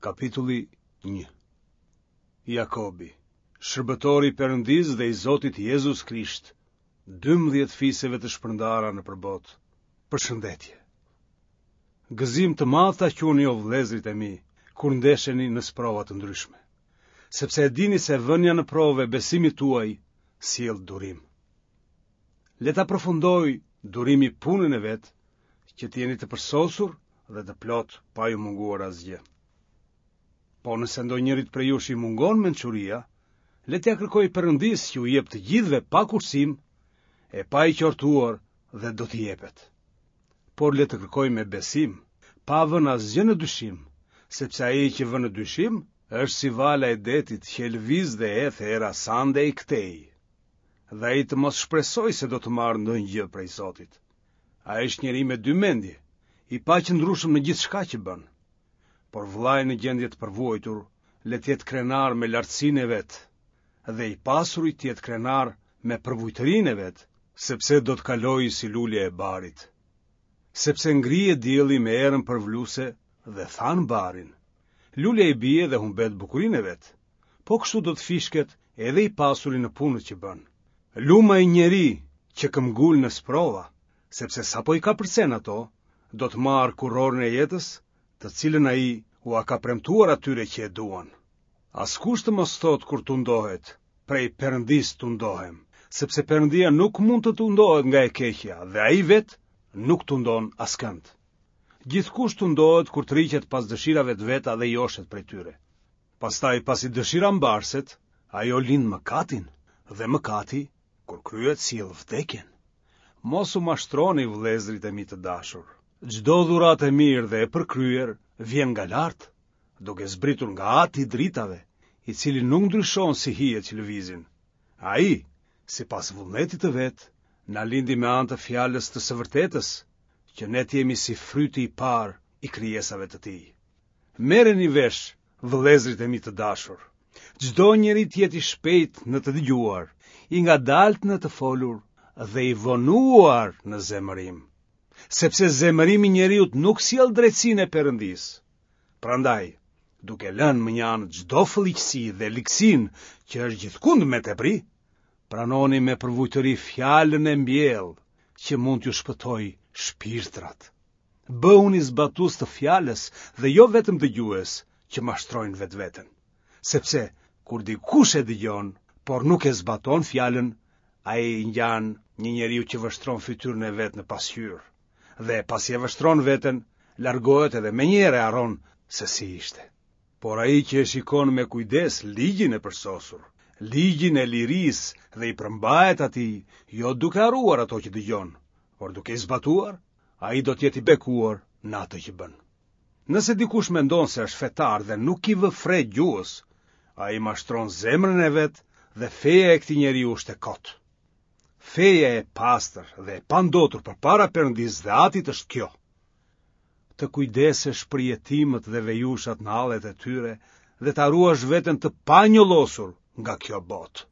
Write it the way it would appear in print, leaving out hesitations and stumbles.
Kapitulli 1 Jakobi, shërbëtor i Perëndisë dhe i Zotit Jezus Krisht, 12 fiseve të shpërndara nëpër botë. Përshëndetje. Gëzim të madh ta quani o vëllezërit e mi, kur ndesheni në sprova të ndryshme, sepse e dini se vënia në provë e besimit tuaj sjell durim. Le ta përfundojë durimi punën e vet, që të jeni të përsosur dhe të plotë pa ju munguar asgjë. Po nëse ndonjërit prej jush i mungon mençuria, le t'ia kërkojë Perëndisë që u jep të gjithëve pa kursim e pa i qortuar dhe do t'i jepet. Por le të kërkojë me besim, pa vënë asgjë në dyshim, sepse ai që vë në dyshim është si vala e detit që e lëviz dhe e hedh era andej këtej. Dhe ai të mos shpresojë se do të marrë ndonjë gjë prej Zotit. Ai është njeri me dy mendje, i paqëndrueshëm në gjithçka që bën. Por vëllai në gjendje të përvuajtur, le të jetë krenar me lartësinë e vet, dhe i pasuri të jetë krenar me përvujtërinë e vet, sepse do të kalojë si lulja e barit. Sepse ngrihet dielli me erën përvëluese dhe than barin. Lulja i bie dhe humbet bukurinë e vet. Po kështu do të fishket edhe i pasuri në punët që bën. Lum ai njeri që këmbëngul në sprova, sepse sapo i kapërcen ato, do të marrë kurorën e jetës, të cilën ai ua ka premtuar atyre që e duan. Askush të mos thotë kur tundohet, prej Perëndisë tundohem, sepse Perëndia nuk mund të tundohet nga e keqja dhe ai vetë nuk tundon askënd. Gjithkush tundohet kur tërhiqet pas dëshirave të veta dhe joshet prej tyre. Pastaj pasi dëshira mbarset, ajo lind mëkatin dhe mëkati, kur kryhet sjell vdekjen. Mos u mashtroni vëllezërit e mi të dashur. Çdo dhuratë e mirë dhe e përkryer vjen nga lart, duke zbritur nga Ati i dritave, i cili nuk ndryshon si hijet që lëvizin. Ai, sipas vullnetit të vet, na lindi me anë të fjalës të së vërtetës, që ne të jemi si fryti i parë i krijesave të tij. Merreni vesh, vëllezërit e mi të dashur. Çdo njeri të jetë i shpejtë në të dëgjuar, i ngadaltë në të folur dhe i vonuar në zemërim. Sepse zemërimi i njeriut nuk sjell drejtësinë e Perëndisë. Prandaj, duke lënë mënjanë çdo fëlliqësi dhe ligësinë që është gjithkund me tepri, pranoni me përvujtëri fjalën e mbjellë që mund t'ju shpëtojë shpirtrat. Bëhuni zbatues të fjalës dhe jo vetëm dëgjues që mashtrojnë vetveten. Sepse kur dikush e dëgjon, por nuk e zbaton fjalën, ai i ngjan një njeriu që vështron fytyrën e vet në pasqyrë. Dhe pasi e vështron veten, largohet edhe menjëherë e harron se si ishte. Por ai që e shikon me kujdes ligjin e përsosur, ligjin e lirisë dhe i përmbahet atij, jo duke harruar ato që dëgjon, por duke i zbatuar, ai do të jetë i bekuar në atë që bën. Nëse dikush mendon se është fetar dhe nuk i vë fre gjuhës, ai mashtron zemrën e vet dhe feja e këtij njeriu është e kotë. Feja e pastër dhe e pandotur përpara Perëndisë dhe Atit është kjo. Të kujdesesh për jetimët dhe vejushat në hallet e tyre dhe ta ruash veten të panjollosur nga kjo botë.